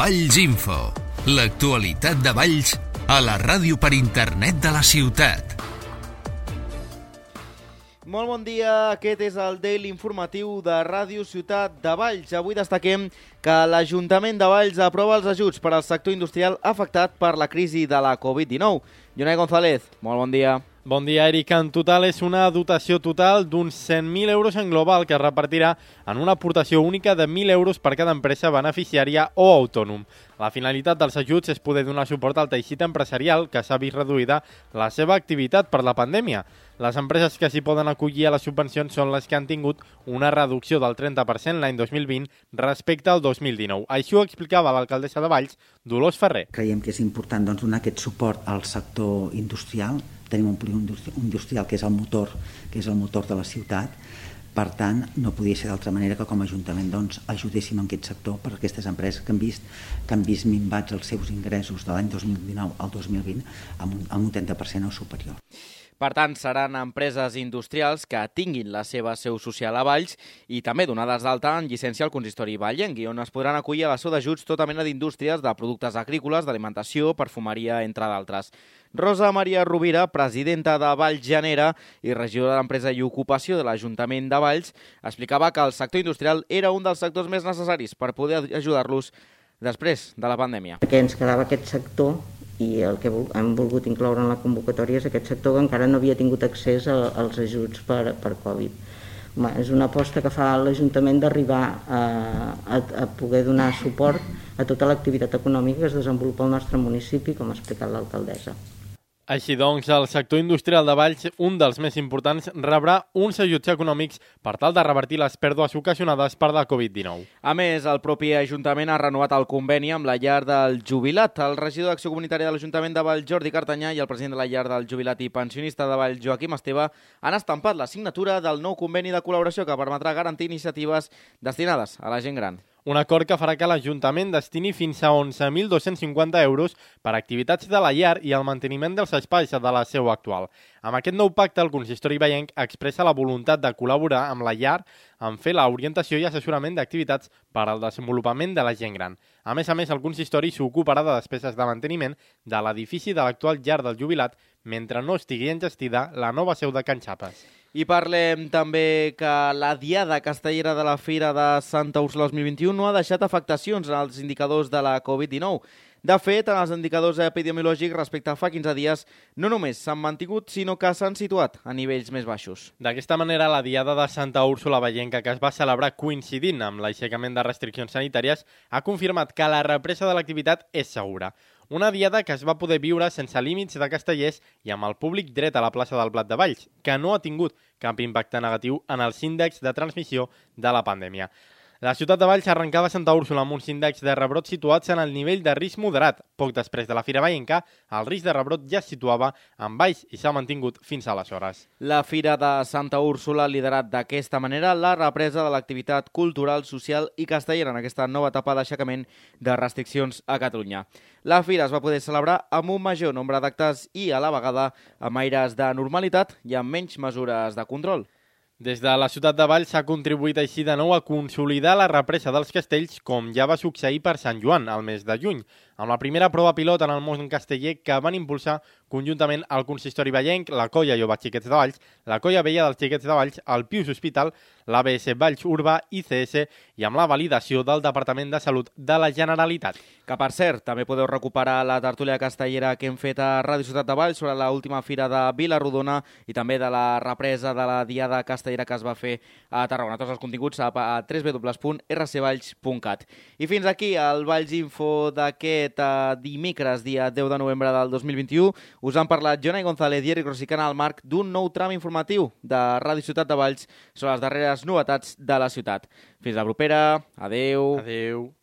Valls Info, l'actualitat de Valls a la ràdio per internet de la ciutat. Molt bon dia, aquest és el Daily informatiu de Ràdio Ciutat de Valls. Avui destaquem que l'Ajuntament de Valls aprova els ajuts per al sector industrial afectat per la crisi de la Covid-19. Jonai González, molt bon dia. Bon dia, Eric. En total és una dotació total d'uns 100.000 euros en global que es repartirà en una aportació única de 1.000 euros per cada empresa beneficiària o autònom. La finalitat dels ajuts és poder donar suport al teixit empresarial que s'ha vist reduïda la seva activitat per la pandèmia. Les empreses que s'hi poden acollir a les subvencions són les que han tingut una reducció del 30% l'any 2020 respecte al 2019. Així ho explicava l'alcaldessa de Valls, Dolors Ferrer. Creiem que és important donar aquest suport al sector industrial. Tenim un polígon industrial que és el motor de la ciutat. Per tant, no podia ser d'altra manera que com a Ajuntament ajudéssim en aquest sector per aquestes empreses que han vist minvats els seus ingressos de l'any 2019 al 2020 amb un 30% o superior. Per tant, seran empreses industrials que tinguin la seva seu social a Valls i també donades d'alta en llicència al consistori vallenc, on es podran acollir a la seu d'ajuts tota mena d'indústries de productes agrícoles, d'alimentació, perfumeria, entre d'altres. Rosa Maria Rovira, presidenta de Valls Genera i regidora d'Empresa i Ocupació de l'Ajuntament de Valls, explicava que el sector industrial era un dels sectors més necessaris per poder ajudar-los després de la pandèmia. Que ens quedava aquest sector i el que hem volgut incloure en la convocatòria és aquest sector que encara no havia tingut accés als ajuts per Covid. És una aposta que fa l'Ajuntament d'arribar a poder donar suport a tota l'activitat econòmica que es desenvolupa al nostre municipi, com ha explicat l'alcaldessa. Així doncs, el sector industrial de Valls, un dels més importants, rebrà uns ajuts econòmics per tal de revertir les pèrdues ocasionades per la Covid-19. A més, el propi Ajuntament ha renovat el conveni amb la llar del jubilat. El regidor d'Acció Comunitària de l'Ajuntament de Valls, Jordi Cartanyà, i el president de la llar del jubilat i pensionista de Valls, Joaquim Esteve, han estampat la signatura del nou conveni de col·laboració que permetrà garantir iniciatives destinades a la gent gran. Un acord que farà que l'Ajuntament destini fins a 11.250 euros per a activitats de la llar i el manteniment dels espais de la seu actual. Amb aquest nou pacte, el consistori vallenc expressa la voluntat de col·laborar amb la llar en fer l'orientació i assessorament d'activitats per al desenvolupament de la gent gran. A més, el consistori s'ocuparà de despeses de manteniment de l'edifici de l'actual llar del jubilat mentre no estigui enllestida la nova seu de Can Xapes. I parlem també que la Diada Castellera de la Fira de Santa Úrsula 2021 no ha deixat afectacions en els indicadors de la Covid-19. De fet, en els indicadors epidemiològics respecte a fa 15 dies no només s'han mantingut, sinó que s'han situat a nivells més baixos. D'aquesta manera, la Diada de Santa Úrsula vallenca, que es va celebrar coincidint amb l'aixecament de restriccions sanitàries, ha confirmat que la represa de l'activitat és segura. Una diada que es va poder viure sense límits de castellers i amb el públic dret a la plaça del Blat de Valls, que no ha tingut cap impacte negatiu en els índexs de transmissió de la pandèmia. La ciutat de Valls arrencava Santa Úrsula amb uns índexs de rebrot situats en el nivell de risc moderat. Poc després de la Fira Vallenca, el risc de rebrot ja es situava en baix i s'ha mantingut fins aleshores. La Fira de Santa Úrsula ha liderat d'aquesta manera la represa de l'activitat cultural, social i castellera en aquesta nova etapa d'aixecament de restriccions a Catalunya. La Fira es va poder celebrar amb un major nombre d'actes i, a la vegada, amb aires de normalitat i amb menys mesures de control. Des de la ciutat de Valls s'ha contribuït així de nou a consolidar la represa dels castells, com ja va succeir per Sant Joan, al mes de juny, amb la primera prova pilot en el món casteller que van impulsar conjuntament el consistori vallenc, la Colla Jove Xiquets de Valls, la Colla Vella dels Xiquets de Valls, el Pius Hospital, l'ABS Valls Urbà, ICS i amb la validació del Departament de Salut de la Generalitat. Que, per cert, també podeu recuperar la tertúlia castellera que hem fet a Ràdio Ciutat de Valls sobre l'última fira de Vila-rodona i també de la represa de la Diada Castellera que es va fer a Tarragona. Tots els continguts a www.rcvalls.cat. I fins aquí el Valls Info d'aquest dimecres, dia 10 de novembre del 2021. Us han parlat Jonai González i Eric Rosicana al marc d'un nou tram informatiu de Ràdio Ciutat de Valls sobre les darreres novetats de la ciutat. Fins la propera. Adeu. Adeu.